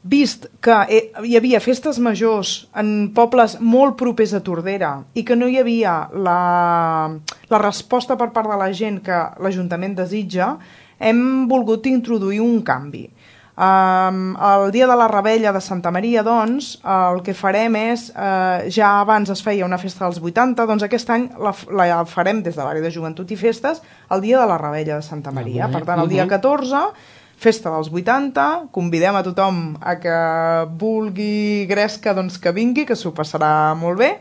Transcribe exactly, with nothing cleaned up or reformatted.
vist que hi havia festes majors en pobles molt propers a Tordera i que no hi havia la, la resposta per part de la gent que l'Ajuntament desitja, hem volgut introduir un canvi. Um, el dia de la Revetlla de Santa Maria, doncs, el que farem és, uh, ja abans es feia una festa dels vuitanta, doncs aquest any la, la farem des de l'àrea de joventut i festes el dia de la Revetlla de Santa Maria. Per tant, el dia catorze, festa dels vuitanta, convidem a tothom a que vulgui gresca, doncs que vingui, que s'ho passarà molt bé.